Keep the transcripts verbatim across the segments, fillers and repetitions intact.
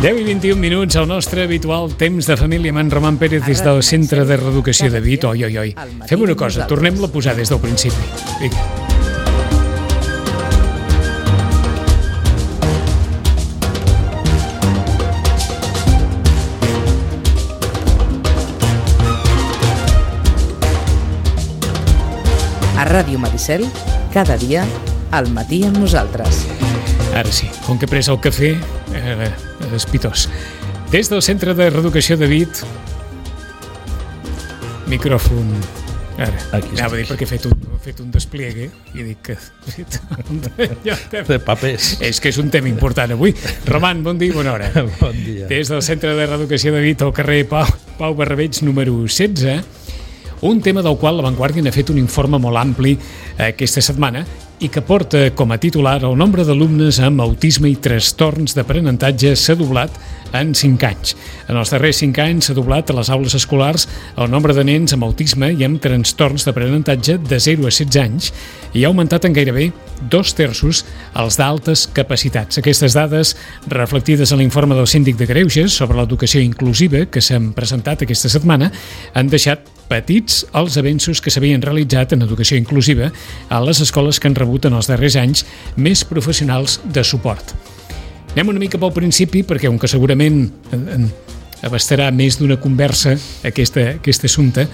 deu i vint i un minuts, al nostre habitual temps de família amb en Roman Pérez des del Centre de Reeducació de Vic. Oi, oi, oi. Fem una cosa, tornem-la a posar des del principi. Vinga. A Ràdio Maricel, cada dia, al matí amb nosaltres. Ara sí, com que he pres el cafè, eh, espitós. Des del Centre de Reeducació de Vic, micròfon... Ara, Aquí anava a dir perquè he fet un, he fet un despliegue i dic que... De papers. És que és un tema important avui. Roman, bon dia i bona hora. Bon dia. Des del Centre de Reeducació de Vic, al carrer Pau, Pau Barrabeig, número setze, un tema del qual La Vanguardia n'ha fet un informe molt ampli aquesta setmana i que porta com a titular el nombre d'alumnes amb autisme i trastorns d'aprenentatge s'ha doblat en cinc anys. En els darrers cinc anys s'ha doblat a les aules escolars el nombre de nens amb autisme i amb trastorns d'aprenentatge de zero a setze anys i ha augmentat en gairebé dos terços els d'altes capacitats. Aquestes dades, reflectides en l'informe del Síndic de Greuges sobre l'educació inclusiva que s'han presentat aquesta setmana, han deixat petits els avenços que s'havien realitzat en educació inclusiva a les escoles que han rebut en els darrers anys més professionals de suport. Anem una mica pel principi perquè, com que segurament abastarà més d'una conversa aquesta, aquest assumpte,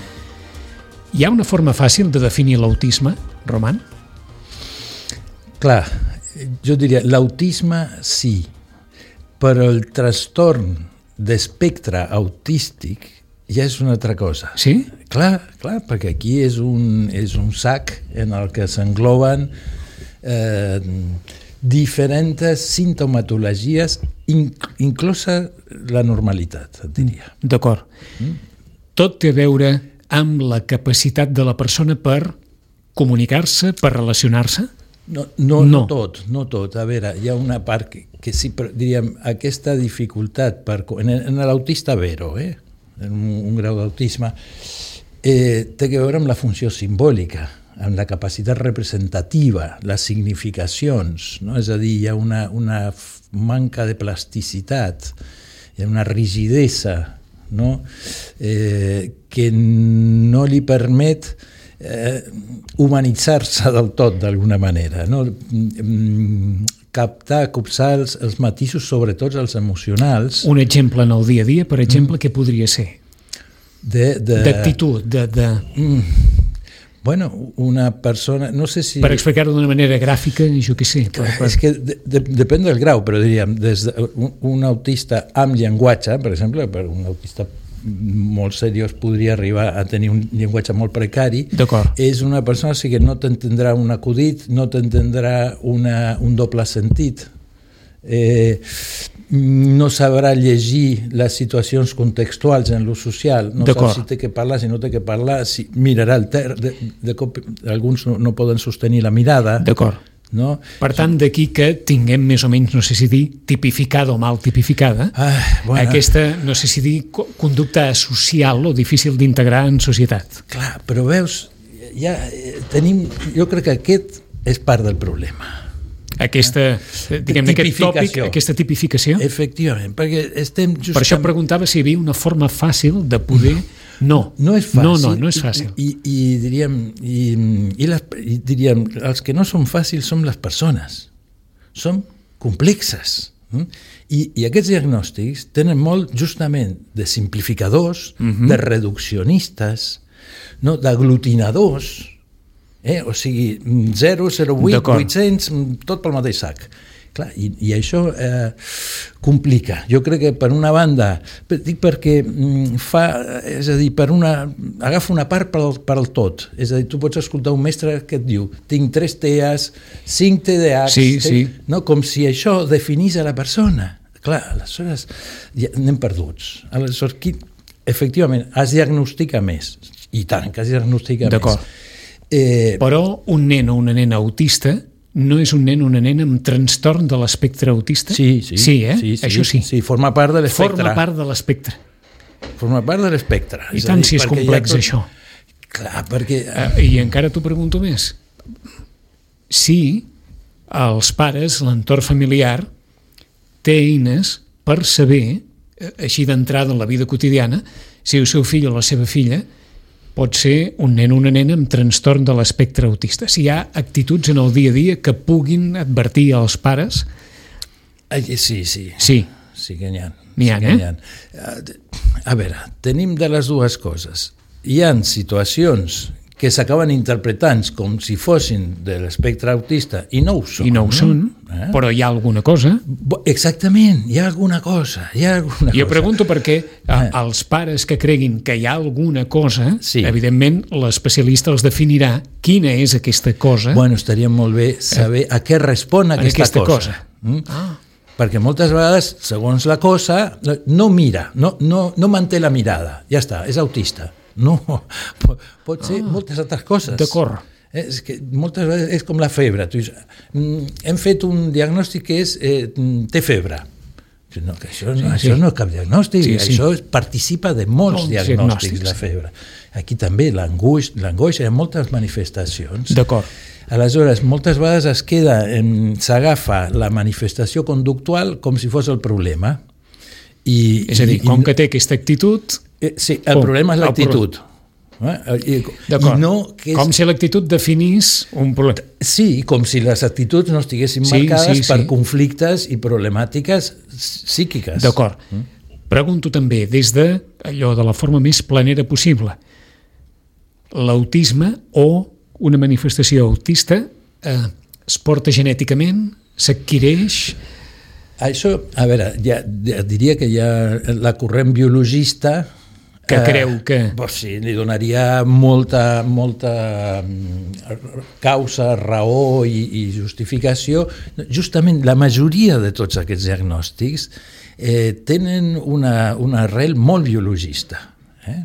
hi ha una forma fàcil de definir l'autisme, Roman? Clar, jo diria, l'autisme sí, però el trastorn d'espectre autístic ja és una altra cosa. Sí? Clar, clar, perquè aquí és un, és un sac en el que s'engloben eh, diferents sintomatologies, inc inclosa la normalitat, et diria. D'acord. Mm? Tot té a veure amb la capacitat de la persona per comunicar-se, per relacionar-se? No, no, no. no tot, no tot. A veure, hi ha una part que, que sí, però diríem, aquesta dificultat per, en, en l'autista vero, eh? en un, un grau d'autisme, eh, té a veure amb la funció simbòlica, amb la capacitat representativa, les significacions, no? És a dir, hi ha una, una manca de plasticitat, hi ha una rigidesa, no? eh, que no li permet eh, humanitzar-se del tot, d'alguna manera, no? captar, copsar els, els matisos, sobretot els emocionals. Un exemple en el dia a dia, per exemple, mm. què podria ser? D'actitud, de... de, de... Mm. Bueno, una persona... No sé si... Per explicar-ho d'una manera gràfica, jo què sé. Per, per... És que de, de, depèn del grau, però diríem, des d'un un autista amb llenguatge, per exemple, per un autista molt seriós podria arribar a tenir un llenguatge molt precari, és una persona sí que no t'entendrà un acudit, no t'entendrà un doble sentit, eh, no sabrà llegir les situacions contextuals en l'ús social, no sap si té que parlar, si no té que parlar, si mirarà el ter... De, de cop, alguns no, no poden sostenir la mirada. D'acord. No? Per tant, d'aquí que tinguem més o menys, no sé si dir, tipificada o mal tipificada, ah, bueno. aquesta, no sé si dir, conducta social o difícil d'integrar en societat. Clar, però veus, ja tenim, jo crec que aquest és part del problema. Aquesta, diguem, aquest tòpic, aquesta tipificació? Efectivament, perquè estem just... Per això preguntava si hi havia una forma fàcil de poder... No, no és fàcil. No, no, no és fàcil. I, i, i diríem, i, i, les, i diríem, els que no són fàcils són les persones. Són complexes. I, i aquests diagnòstics tenen molt justament de simplificadors, uh-huh. de reduccionistes, no? d'aglutinadors, eh? o sigui, zero, zero, vuit, vuit-cents, tot pel mateix sac. Clar, i, i això eh, complica. Jo crec que per una banda, dic perquè fa, és a dir, per una, agafa una part per al, per al tot. És a dir, tu pots escoltar un mestre que et diu tinc tres T E As, cinc T D Ahs, sí, sí. No? Com si això definís a la persona. Clar, aleshores ja anem perduts. Aleshores, qui, efectivament, es diagnostica més. I tant, que es diagnostica D'acord. més. Eh, Però un nen o una nena autista no és un nen o una nena amb trastorn de l'espectre autista? Sí, sí. Sí, eh? Sí, sí, això sí. Sí, forma part de l'espectre. Forma part de l'espectre. Forma part de l'espectre. I tant si és complex, tot... això. Clar, perquè... Uh, I encara t'ho pregunto més. Si els pares, l'entorn familiar, té eines per saber, així d'entrada en la vida quotidiana, si el seu fill o la seva filla pot ser un nen o una nena amb trastorn de l'espectre autista. Si hi ha actituds en el dia a dia que puguin advertir als pares... Sí, sí. Sí. Sí que n'hi ha. N'hi ha, sí eh? Ha. A veure, tenim de les dues coses. Hi ha situacions que s'acaben interpretant com si fossin de l'espectre autista i no ho són. I no ho són, eh? Però hi ha alguna cosa. Exactament, hi ha alguna cosa. Hi ha alguna jo cosa. pregunto perquè eh, els pares que creguin que hi ha alguna cosa, sí. Evidentment l'especialista els definirà quina és aquesta cosa. Bueno, estaria molt bé saber eh, a què respon aquesta, aquesta cosa. cosa. Mm? Ah. Perquè moltes vegades, segons la cosa, no mira, no, no, no manté la mirada, ja està, és autista. No, pot ser ah, moltes altres coses. D'acord. És que moltes vegades és com la febre. Tu dius, hem fet un diagnòstic que és eh, té febre. No, que això, no, sí, això sí. no és cap diagnòstic, sí, sí. Això participa de molts, molts diagnòstics, diagnòstics, la febre. Aquí també l'angoix, l'angoix hi ha moltes manifestacions. D'acord. Aleshores, moltes vegades es queda, s'agafa la manifestació conductual com si fos el problema. I, és a dir, com i, que té aquesta actitud... Eh, sí, el com? problema és l'actitud. Eh? D'acord, no, que és... com si l'actitud definís un problema. Sí, com si les actituds no estiguessin sí, marcades sí, sí. per conflictes i problemàtiques psíquiques. D'acord. Mm? Pregunto també, des de allò de la forma més planera possible, l'autisme o una manifestació autista eh, es porta genèticament, s'adquireix... Això, a veure, ja, ja diria que ja la corrent biologista... Que eh, creu que... Pues sí, li donaria molta, molta causa, raó i, i justificació. Justament la majoria de tots aquests diagnòstics eh, tenen una, una arrel molt biologista. Eh?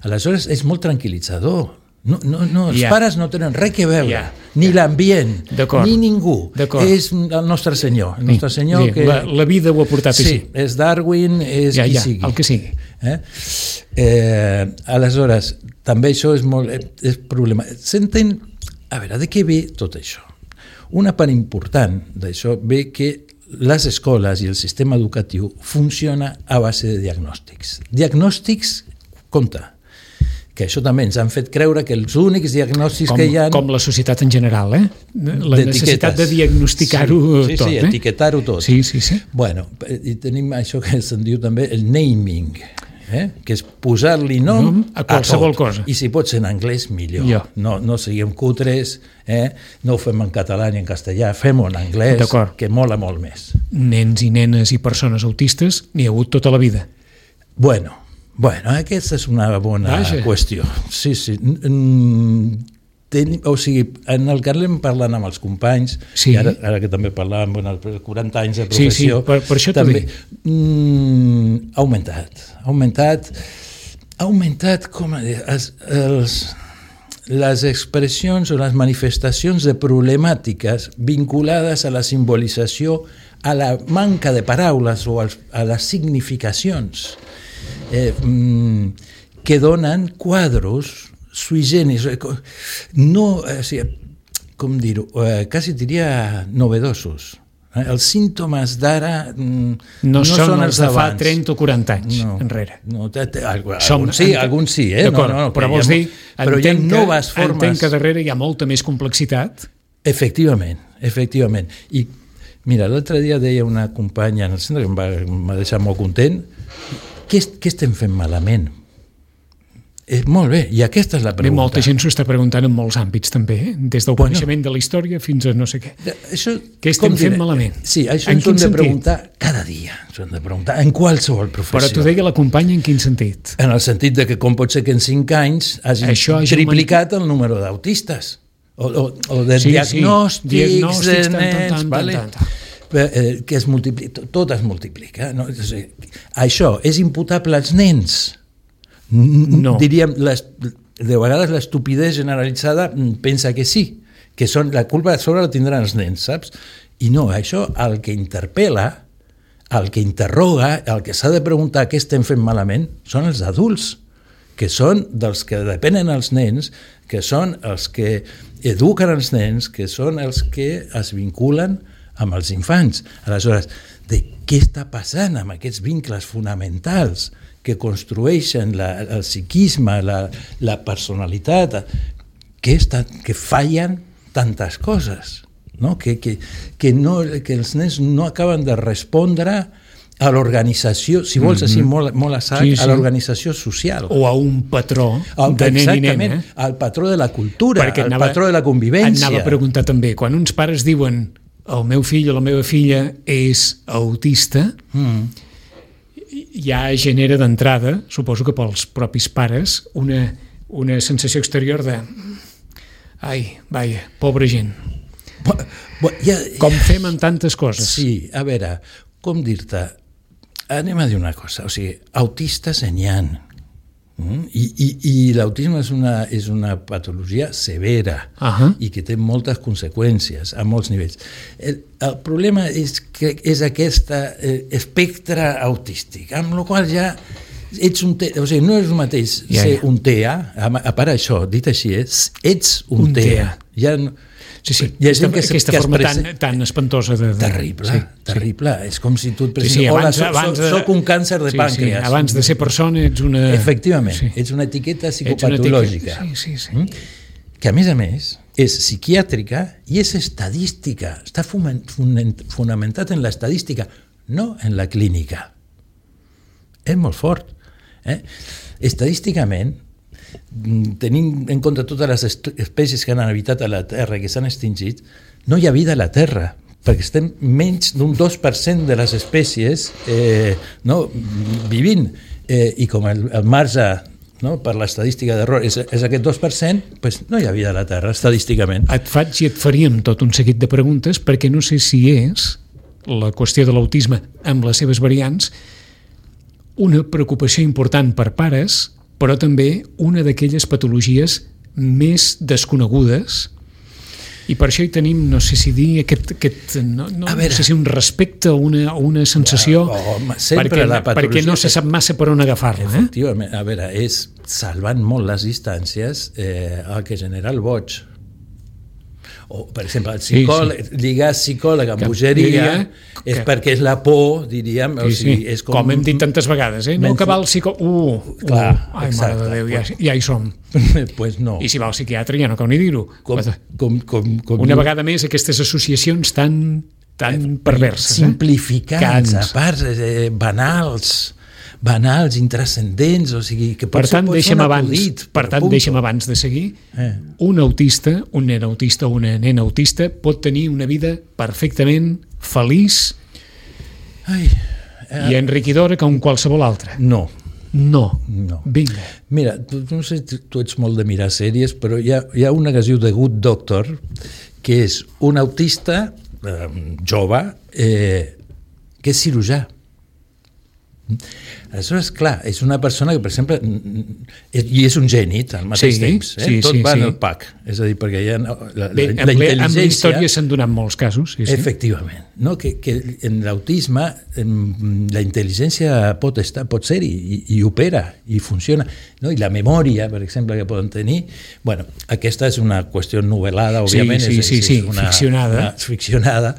Aleshores, és molt tranquil·litzador. No, no, no, els yeah. pares no tenen res que veure, yeah. ni yeah. l'ambient, ni ningú. És el nostre senyor. El nostre senyor sí. que... la, la vida ho ha portat sí, així. És Darwin, és ja, qui ja, sigui. El que sigui. Eh? Eh, aleshores, també això és molt és problema. S'entén, a veure, de què ve tot això? Una part important d'això ve que les escoles i el sistema educatiu funciona a base de diagnòstics. Diagnòstics, compte, que això també ens han fet creure que els únics diagnòstics com, que hi ha... Com la societat en general, eh? La necessitat de diagnosticar-ho sí, sí, tot. Sí, eh? etiquetar-ho tot. Sí, sí, sí. Bueno, i tenim això que se'n diu també el naming, eh? Que és posar-li nom mm, a qualsevol a tot. cosa. I si pot ser en anglès, millor. Jo. No, no siguem cutres, eh? No ho fem en català ni en castellà, fem-ho en anglès, que mola molt més. Nens i nenes i persones autistes n'hi ha hagut tota la vida. Bueno, Bueno, aquesta és una bona Vaja. qüestió. Sí, sí. Ten, o sigui, en el que anem parlant amb els companys, sí. i ara, ara que també parlàvem bueno, quaranta anys de professió, sí, sí, per, per això també mm, ha augmentat. Ha augmentat, ha augmentat com a dir, els, els, les expressions o les manifestacions de problemàtiques vinculades a la simbolització, a la manca de paraules o als, a les significacions. Eh, que donen quadros sui generis, no, o sigui, com dir-ho, eh, quasi diria novedosos. Eh? Els símptomes d'ara mm, no, no són, són els de d'abans. fa trenta o quaranta anys no, enrere. No, te, te, alguns sí, alguns sí, eh? D'acord, no, no, però vols dir, però hi ha noves formes... entenc que darrere hi ha molta més complexitat. Efectivament, efectivament. I mira, l'altre dia deia una companya en el centre que em va, em va deixar molt content. Què, què estem fent malament? Eh, molt bé, i aquesta és la pregunta. Bé, molta gent s'ho està preguntant en molts àmbits també, eh? Des del bueno, coneixement de la història fins a no sé què. Això, què estem fent malament? Sí, això ens ho hem de preguntar cada dia, ens ho hem de preguntar en qualsevol professió. Però tu deia la companya en quin sentit? En el sentit de que com pot ser que en cinc anys hagin això triplicat el número d'autistes o, o, o de sí, diagnòstics, sí. diagnòstics de nens, tant, tant, vale? tant, tant. Eh, que es multiplica, tot es multiplica. No? Això és imputable als nens? No. Diríem, les, de vegades l'estupidesa generalitzada pensa que sí, que són, la culpa sobre la tindran els nens, saps? I no, això, el que interpel·la, el que interroga, el que s'ha de preguntar què estem fent malament, són els adults, que són dels que depenen els nens, que són els que eduquen els nens, que són els que es vinculen amb els infants. Aleshores, de què està passant amb aquests vincles fonamentals que construeixen la, el psiquisme, la, la personalitat, que, està, que fallen tantes coses, no? Que, que, que, no, que els nens no acaben de respondre a l'organització, si vols, mm-hmm. així molt, molt a sac, sí, sí. a l'organització social. O a un patró el, de nen i nena. Eh? Al patró de la cultura, al anava, patró de la convivència. Anava a preguntar també, quan uns pares diuen el meu fill o la meva filla és autista, mm. ja genera d'entrada, suposo que pels propis pares, una, una sensació exterior de ai, vaja, pobra gent. Bo, bo, ja, com fem amb tantes coses. Sí, a veure, com dir-te, anem a dir una cosa, o sigui, autistes n'hi ha, mm? I, i, i l'autisme és una, és una patologia severa uh-huh. i que té moltes conseqüències a molts nivells. El, el problema és que és aquest eh, espectre autístic, amb la qual ja ets un te, o sigui, no és el mateix ja, ser ja. un T A, a, a part això, dit així, és, ets un, un T A. Ja no, sí, sí, aquesta, que, aquesta que forma tan, tan espantosa de... de terrible, sí, terrible. Sí. És com si tu et presentes, sí, sí, abans, hola, abans soc, soc un càncer de sí, pàncreas. Sí, abans de ser persona ets una... Efectivament, sí. ets una etiqueta psicopatològica. Una etiqueta, sí, sí, sí. Mm? Que a més a més és psiquiàtrica i és estadística, està fonamentat en l'estadística, no en la clínica. És molt fort. Eh? Estadísticament, tenint en compte totes les espècies que han habitat a la Terra i que s'han extingit, no hi ha vida a la Terra, perquè estem menys d'un dos per cent de les espècies eh, no, vivint, eh, i com el, el marge no, per l'estadística d'error és, és aquest dos per cent, pues no hi ha vida a la Terra, estadísticament. Et faig i et faríem tot un seguit de preguntes, perquè no sé si és la qüestió de l'autisme amb les seves variants una preocupació important per pares, però també una d'aquelles patologies més desconegudes, i per això hi tenim, no sé si dir, aquest, aquest no, no, no sé si un respecte o una, una sensació, ja, home, perquè, perquè no se sap massa per on agafar-la. Eh? Efectivament, a veure, és salvant molt les distàncies eh, el que genera el boig. O, per exemple, el psicòleg, sí, sí. lligar psicòleg amb bogeria és que... perquè és la por, diríem. Sí, o sigui, sí. És com... com hem dit tantes vegades, eh? No que va al psicòleg... Uh, Clar, uh, ai, exacte, mare de Déu, ja, ja hi som. Pues no. I si va al psiquiatre ja no cal ni dir-ho. Com, com, com, com Una diu... vegada més, aquestes associacions tan, tan perverses. Simplificants, eh? a part, eh, banals... banals, intrascendents, o sigui, que per tant, deixem abans, acudit, per tant, deixem abans de seguir, eh. un autista, un nen autista o una nena autista pot tenir una vida perfectament feliç Ai, eh. i enriquidora com qualsevol altra. No. No. no. Vinga. Mira, tu, no sé, tu ets molt de mirar sèries, però hi ha, hi ha una que es diu The Good Doctor, que és un autista eh, jove eh, que és cirurgià. Aleshores, clar, és una persona que, per exemple, i és un gènit al mateix sí, temps, eh? sí, tot sí, va sí. en el pack, és a dir, perquè hi ha la, la, Bé, la intel·ligència... Amb la història s'han donat molts casos. Sí, sí. Efectivament, no? que, que en l'autisme la intel·ligència pot estar, pot ser-hi, i, i opera, i funciona, no? I la memòria, per exemple, que poden tenir, bueno, aquesta és una qüestió novel·lada, òbviament, sí, sí, és, sí, és una, ficcionada. Una, ficcionada,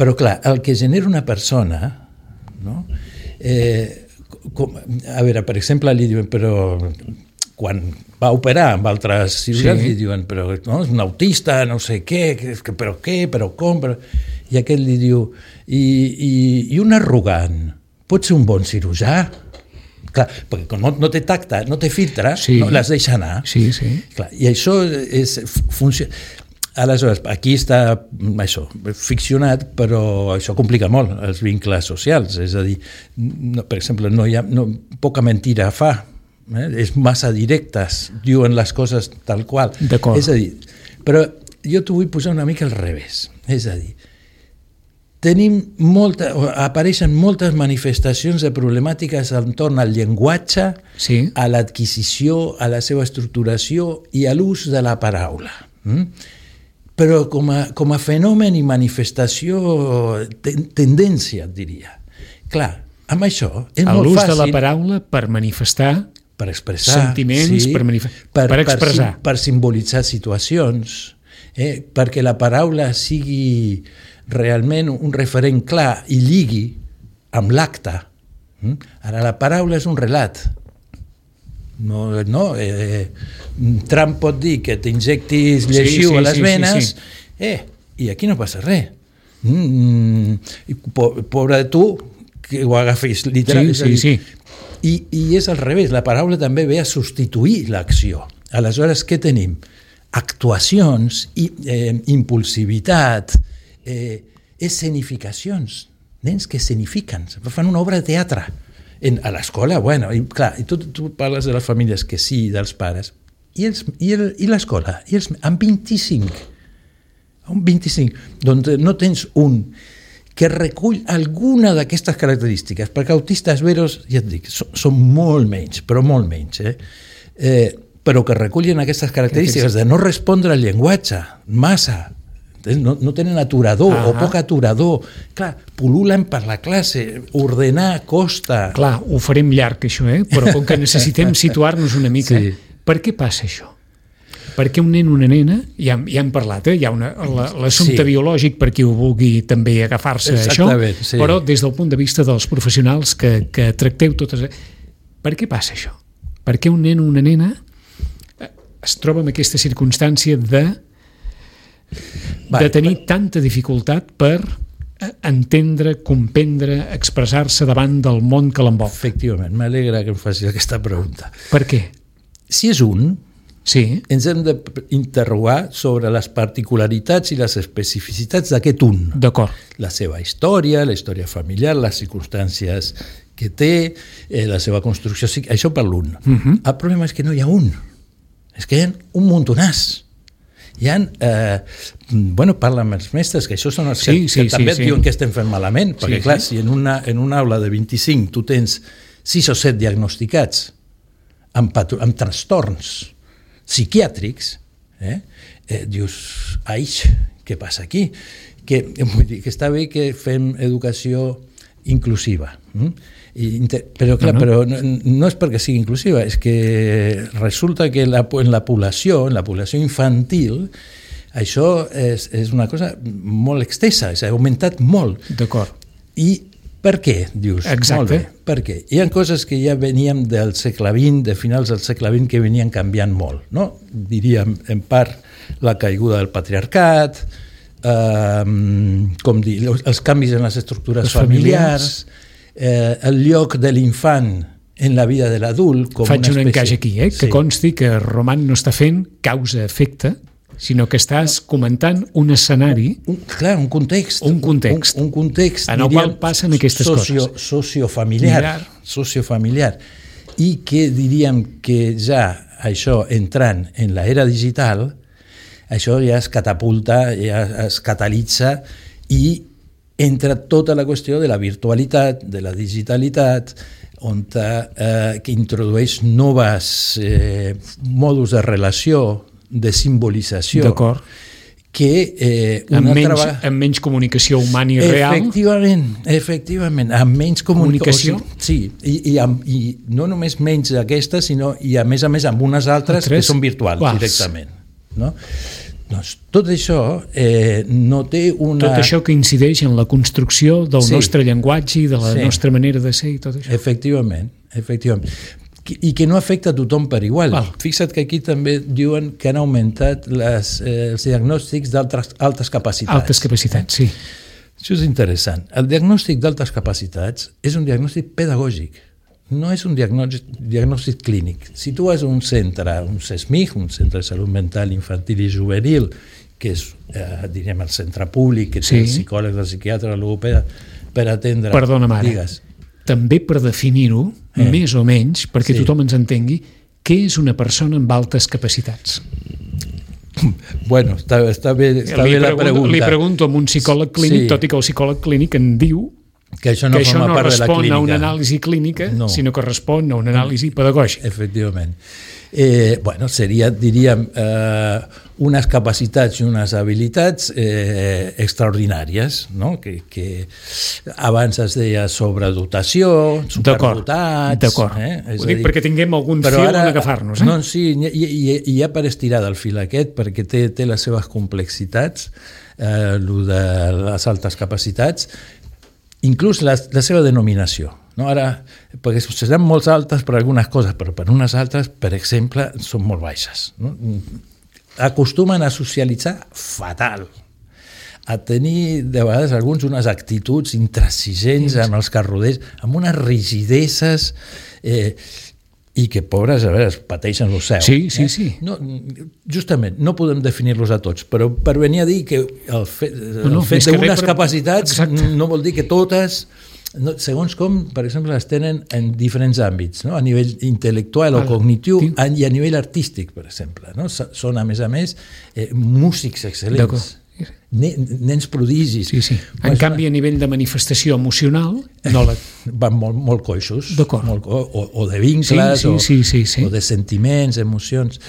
però clar, el que genera una persona, no? Eh, com, a veure, per exemple, li diuen, però quan va operar amb altres cirurgians, sí. li diuen, però no, és un autista, no sé què, que, però què, però com, però... i aquest li diu, i, i, i un arrogant pot ser un bon cirurgià? Clar, perquè com no, no té tacte, no té filtre, sí. no les deixa anar. Sí, sí. Clar, i això és, funciona... Aleshores, aquí està això, ficcionat, però això complica molt els vincles socials, és a dir, no, per exemple, no hi ha, no, poca mentira fa, eh? És massa directes, diuen les coses tal qual. D'acord. És a dir, però jo t'ho vull posar una mica al revés, és a dir, tenim molta, apareixen moltes manifestacions de problemàtiques entorn al llenguatge, sí. a l'adquisició, a la seva estructuració i a l'ús de la paraula. Mm? Però com a, com a fenomen i manifestació, ten, tendència, et diria. Clar, amb això és molt l'ús fàcil... de la paraula per manifestar per expressar, sentiments, sí, per, manif... per, per expressar. Per, per simbolitzar situacions. eh, perquè la paraula sigui realment un referent clar i lligui amb l'acte. Mm? Ara, la paraula és un relat. No, no, eh, Trump pot dir que t'injectis lleixiu sí, sí, a les venes, sí, sí, sí. eh, i aquí no passa res. Mm, pobre de tu, que ho agafis literalment. Sí, sí, sí. I, I és al revés, la paraula també ve a substituir l'acció. Aleshores, què tenim? Actuacions, i, eh, impulsivitat, eh, escenificacions, nens que escenifiquen, fan una obra de teatre. En, a l'escola, bueno, i clar, i tu, tu parles de les famílies que sí, dels pares, i, els, i, el, i l'escola, i els, amb vint-i-cinc, un vint-i-cinc, doncs no tens un que recull alguna d'aquestes característiques, perquè autistes veros, ja et dic, són, són molt menys, però molt menys, eh? Eh, però que recullen aquestes característiques de no respondre al llenguatge, massa, no, no tenen aturador uh-huh. o poc aturador, clar, pul·lulen per la classe, ordenar costa. Clar, ho farem llarg això, eh? Però com que necessitem situar-nos una mica, sí. Per què passa això? Perquè un nen o una nena, ja, ja hem parlat, eh? Hi ha una, la, l'assumpte sí. biològic per qui ho vulgui també agafar-se a això, sí. Però des del punt de vista dels professionals que, que tracteu totes... Per què passa això? Per què un nen o una nena es troba en aquesta circumstància de de tenir tanta dificultat per entendre, comprendre, expressar-se davant del món que l'envolta? Efectivament, m'alegra que em facis aquesta pregunta. Per què? Si és un, sí. ens hem d'interrogar sobre les particularitats i les especificitats d'aquest un. D'acord. La seva història, la història familiar, les circumstàncies que té, eh, la seva construcció, això per l'un. Uh-huh. El problema és que no hi ha un, és que hi ha un muntonàs. Hi ha, eh, bueno, parla amb els mestres, que això són els sí, que, sí, que també sí, et diuen sí. que estem fent malament, perquè sí, clar, sí. si en una, en una aula de vint-i-cinc tu tens sis o set diagnosticats amb, patro, amb trastorns psiquiàtrics, eh, eh, dius, aix, què passa aquí? Que, vull dir, que està bé que fem educació inclusiva, hm? I, però clar, no, no. però no, no és perquè sigui inclusiva, és que resulta que la, en la població, en la població infantil, això és, és una cosa molt extensa, s'ha augmentat molt. D'acord. I per què, dius? Exacte. Molt bé, per què? Hi ha coses que ja veníem del segle vint, de finals del segle vint, que venien canviant molt, no? Diríem, en part, la caiguda del patriarcat, eh, com dir, els canvis en les estructures les familiars, familiars Eh, el lloc de l'infant en la vida de l'adult com faig una espècie... un encaix aquí, eh? que sí. consti que Roman no està fent causa-efecte, sinó que estàs comentant un escenari, un, clar, un context, un context, un, un context en el qual passen aquestes socio, coses. Sociofamiliar, sociofamiliar, i que diríem que ja això entrant en l'era digital, això ja es catapulta, ja es catalitza i entra tota la qüestió de la virtualitat, de la digitalitat, on eh, que introdueix noves eh, modus de relació, de simbolització, d'acord, que eh, una amb, menys, altra... amb menys comunicació humana i real. Efectivament, efectivament, amb menys comunicació. comunicació? Sí, i, i, amb, i no només menys d'aquestes, sinó i a més a més amb unes altres Tres? que són virtuals Quals? directament. No? Doncs tot això eh, no té una... Tot això que incideix en la construcció del sí. nostre llenguatge i de la sí. nostra manera de ser i tot això. Efectivament, efectivament. I que no afecta a tothom per igual. Val. Fixa't que aquí també diuen que han augmentat les, eh, els diagnòstics d'altres altes capacitats. Altes capacitats, sí. Això és interessant. El diagnòstic d'altes capacitats és un diagnòstic pedagògic. No és un diagnòstic, diagnòstic clínic. Si tu vas a un centre, un C E S M I C, un centre de salut mental infantil i juvenil, que és, eh, direm, el centre públic, que té sí. el psicòleg, el psiquiatre, el logopeda, per atendre... Perdona, mare, digues. També per definir-ho, eh. més o menys, perquè sí. tothom ens entengui, què és una persona amb altes capacitats? Bueno, està, està bé, està li bé la pregunto, pregunta. Li pregunto a un psicòleg clínic, sí. tot i que el psicòleg clínic en diu que això no, que això no respon a una anàlisi clínica, no. sinó que respon a una anàlisi pedagògica. Efectivament. eh, bueno, seria, diríem, eh, unes capacitats i unes habilitats eh, extraordinàries, no? que, que abans es deia sobredotació, superdotats... D'acord, eh? Ho dic dir, perquè tinguem algun fil on agafar-nos. Eh? No, sí, i, i, i ja per estirar del fil aquest, perquè té, té les seves complexitats, eh, lo de les altes capacitats, inclús la, la seva denominació. No? Ara, perquè seran molt altes per algunes coses, però per unes altres, per exemple, són molt baixes. No? Acostumen a socialitzar fatal, a tenir de vegades alguns unes actituds intransigents amb els que roders, amb unes rigideses eh, i que, pobres, a veure, es pateixen lo seu. Sí, sí, eh? sí. No, justament, no podem definir-los a tots, però per venir a dir que el fet, el no, no, fet d'unes per... capacitats Exacte. No vol dir que totes... No, segons com, per exemple, les tenen en diferents àmbits, no? A nivell intel·lectual o Val. cognitiu Tinc... i a nivell artístic, per exemple. No? Són, a més a més, eh, músics excel·lents, nens prodigis. Sí, sí. En canvi, a nivell de manifestació emocional, no la... van molt, molt coixos, molt, o, o de vincles, sí, sí, sí, sí, sí. O, o de sentiments, emocions.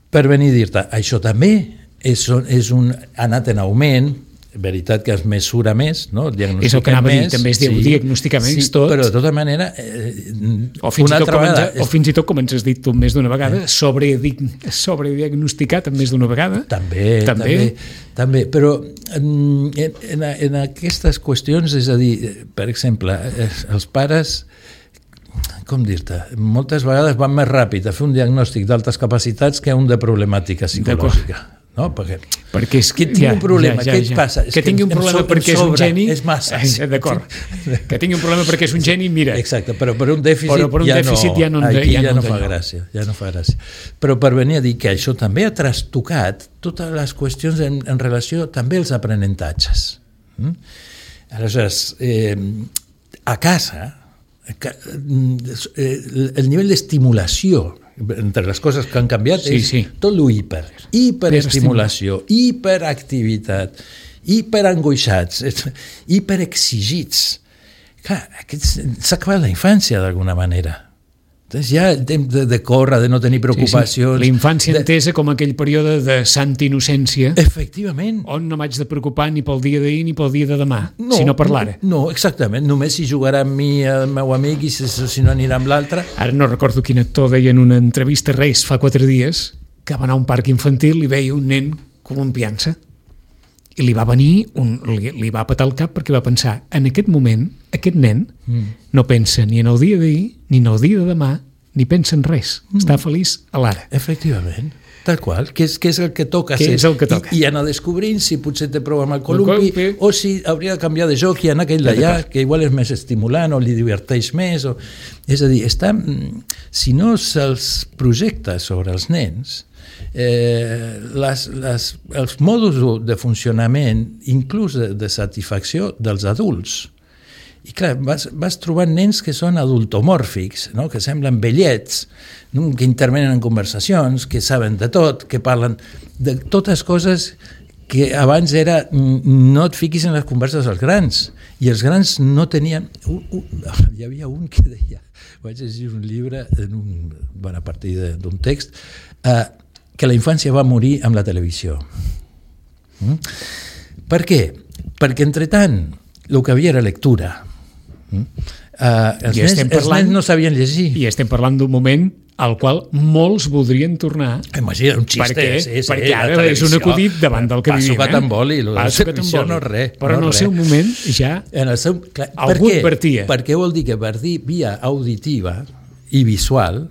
Per venir a dir-te, això també és, és un, ha anat en augment, veritat que es mesura més, no? És el que anava a dir, també es diu sí, diagnosticar més sí, tot. Però de tota manera... Eh, o, fins una altra vegada, ens, és... o fins i tot, com ens has dit tu més d'una vegada, eh? sobre, sobrediagnosticat més d'una vegada. També, també, també, també. Però en, en, en aquestes qüestions, és a dir, per exemple, els pares... com dir-te, moltes vegades van més ràpid a fer un diagnòstic d'altes capacitats que un de problemàtica psicològica. No? Perquè, perquè és que tingui ja, un problema, ja, ja, què et ja. passa? Que tingui un problema so, perquè és un geni és massa. Eh, d'acord, que tingui un problema perquè és un geni, mira. Exacte, però per un dèficit, però per un ja, dèficit no, ja no, aquí ja ja no, no fa gràcia, ja no fa gràcia. Però per venir a dir que això també ha trastocat totes les qüestions en, en relació també als aprenentatges. Mm? Aleshores, eh, a casa, el nivell d'estimulació entre les coses que han canviat sí, és sí. tot lo hiper, hiperestimulació, hiperactivitat, hiperangoixats, hiperexigits. Clar, s'ha acabat la infància d'alguna manera. Entonces ja el temps de, de córrer, de no tenir preocupacions... Sí, sí. La infància de... entesa com aquell període de santa innocència. Efectivament. On no m'haig de preocupar ni pel dia d'ahir ni pel dia de demà, no, sinó per l'ara. No, exactament. Només si jugarà amb mi el meu amic i si, si no anirà amb l'altre. Ara no recordo quin actor deia en una entrevista a Reis fa quatre dies que va anar a un parc infantil i veia un nen columpiant-se. I li va venir, un, li, li va petar el cap perquè va pensar, en aquest moment, aquest nen mm. no pensa ni en el dia d'ahir, ni en el dia de demà, ni pensa en res. Mm. Està feliç a l'ara. Efectivament, tal qual, que és, que és el que toca. Que és el que toca. I, i anar descobrint si potser té prou amb el columpi, el o si hauria de canviar de joc i anar aquell d'allà, que igual és més estimulant o li diverteix més. O... És a dir, està, si no se'ls projecta sobre els nens, Eh, les, les, els mòduls de funcionament, inclús de, de satisfacció dels adults. I clar, vas, vas trobant nens que són adultomòrfics, no? Que semblen vellets, no? Que intervenen en conversacions, que saben de tot, que parlen de totes coses que abans era no et fiquis en les converses dels grans, i els grans no tenien... Uh, uh, hi havia un que deia, vaig llegir un llibre en un, bueno, a partir d'un text, eh, que la infància va morir amb la televisió. Mm? Per què? Perquè, entre tant, el que havia era lectura. Mm? Uh, els, nens, parlant, els nens no sabien llegir. I estem parlant d'un moment al qual molts voldrien tornar. Imagina, un xiste. Perquè, sí, sí, perquè ara és un acudit davant del que va vivim. Va sucat amb boli. Va sucat amb boli. No res. Però no en el res. seu moment ja en el seu, clar, algú advertia. Perquè vol dir que per dir via auditiva i visual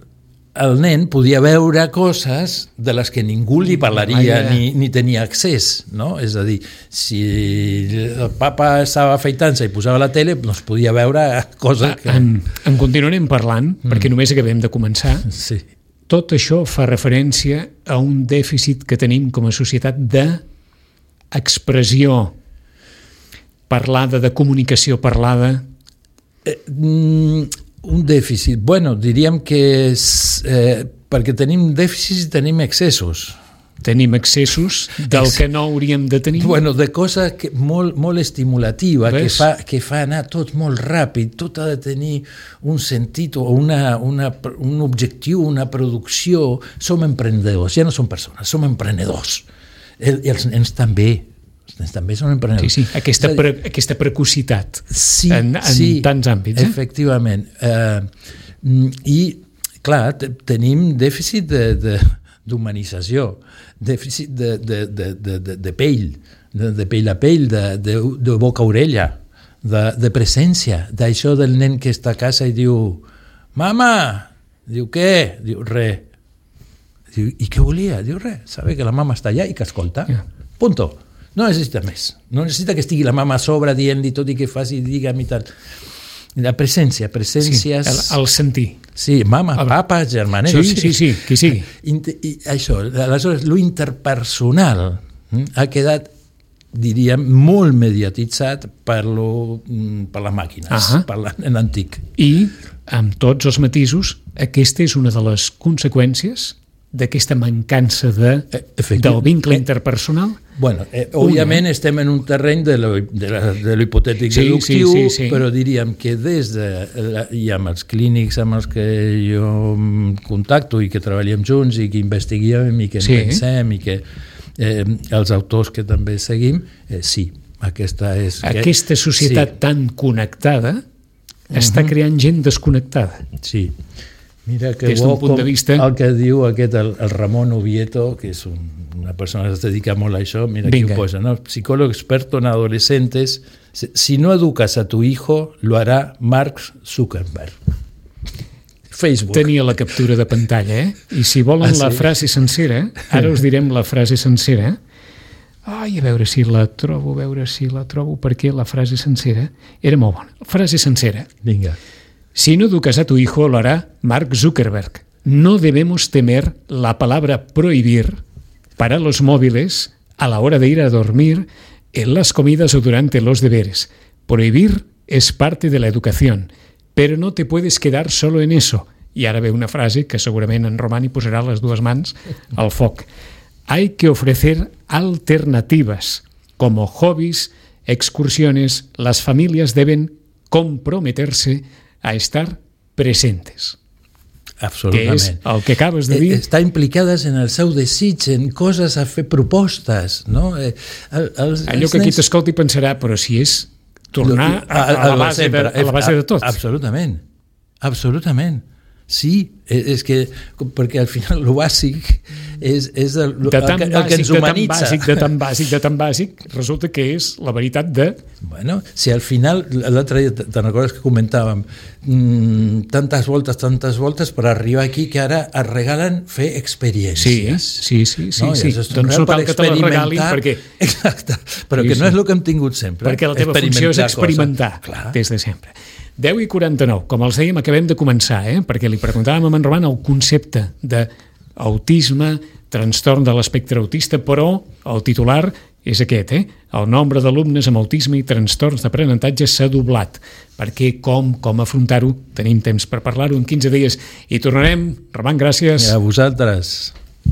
el nen podia veure coses de les que ningú li parlaria ni, ni tenia accés, no? És a dir, si el papa estava afeitant-se i posava la tele, doncs podia veure coses que... En, en continuarem parlant, mm. perquè només acabem de començar. Sí. Tot això fa referència a un dèficit que tenim com a societat d'expressió parlada, de comunicació parlada. Eh, mm, un dèficit, bueno, diríem que és, eh, perquè tenim dèficits i tenim excessos. tenim excessos del que no hauríem de tenir. Bueno, de cosa que, molt, molt estimulativa, que fa, que fa anar tot molt ràpid, tot ha de tenir un sentit o una, una, un objectiu, una producció. Som emprenedors, ja no som persones, som emprenedors. El, els nens també, els nens també són emprenedors. Sí, sí, aquesta, pre, aquesta precocitat sí, en, en sí, tants àmbits. Eh? Efectivament. Uh, I, clar, tenim dèficit de... de d'humanització, dèficit de, de, de, de, de, de pell, de, de pell a pell, de, de, de boca a orella, de, de presència, d'això del nen que està a casa i diu «Mama!» Diu «Què?» Diu «Re». Diu «I què volia?» Diu «Re». Sabe que la mama està allà i que escolta. Yeah. Punto. No necessita més. No necessita que estigui la mama a sobre dient-li tot i que faci, digue'm i tal. La presència, presències... Sí, el, el sentir. Sí, mama, el... papa, germanet... Sí, sí, sí, qui sigui. I, i això, aleshores, lo interpersonal hm, ha quedat, diríem, molt mediatitzat per, lo, per les màquines, uh-huh. per l'antic. I, amb tots els matisos, aquesta és una de les conseqüències d'aquesta mancança de, del vincle interpersonal? Bueno, eh, òbviament estem en un terreny de lo, de la, de lo hipotètic sí, deductiu, sí, sí, sí. però diríem que des de, la, i amb els clínics amb els que jo contacto i que treballem junts i que investiguem i que sí. pensem i que eh, els autors que també seguim, eh, sí, aquesta és... Aquesta societat sí. tan connectada està uh-huh. creant gent desconnectada. Sí. Mira que des d'un punt de vista... el que diu aquest, el, el Ramon Oviedo, que és un, una persona que es dedica molt a això, mira aquí ho posa, ¿no? Psicólogo experto en adolescentes, si no educas a tu hijo, lo hará Mark Zuckerberg. Facebook. Tenia la captura de pantalla, eh? I si volen ah, sí? la frase sencera, ara us direm la frase sencera. Ai, a veure si la trobo, a veure si la trobo, perquè la frase sencera era molt bona. Frase sencera. Vinga. Si no educas a tu hijo, lo hará Mark Zuckerberg. No debemos temer la palabra prohibir para los móviles a la hora de ir a dormir, en las comidas o durante los deberes. Prohibir es parte de la educación, pero no te puedes quedar solo en eso. I ara ve una frase que segurament en Romani posarà les dues mans al foc. Hay que ofrecer alternativas, como hobbies, excursiones. Las familias deben comprometerse a estar presentes. Absolutament. Que és el que acabes de dir. Estar implicades en el seu desig, en coses a fer propostes, no? Eh, els, Allò que aquí t'escolta i pensarà, però si és tornar a, a, a, la, base de, a la base de tot. Absolutament, absolutament. Sí, és que, perquè al final el bàsic és, és el, de tan el, bàsic, el que ens humanitza. De tan bàsic, de tan bàsic, de tan bàsic, resulta que és la veritat de... Bueno, si al final, l'altre dia, te'n recordes que comentàvem, mmm, tantes voltes, tantes voltes per arribar aquí que ara es regalen fer experiències. Sí, sí, sí. sí, no? sí. Doncs no cal que te les regalin perquè... Exacte, però sí, que no sí. és el que hem tingut sempre. Perquè la teva funció és experimentar, des de sempre. deu i quaranta-nou, com els dèiem, acabem de començar, eh? Perquè li preguntàvem a en Roman el concepte d'autisme, trastorn de l'espectre autista, però el titular és aquest, eh? El nombre d'alumnes amb autisme i trastorns d'aprenentatge s'ha doblat. Per què, com, com afrontar-ho? Tenim temps per parlar-ho en quinze dies i tornarem. Roman, gràcies. A vosaltres.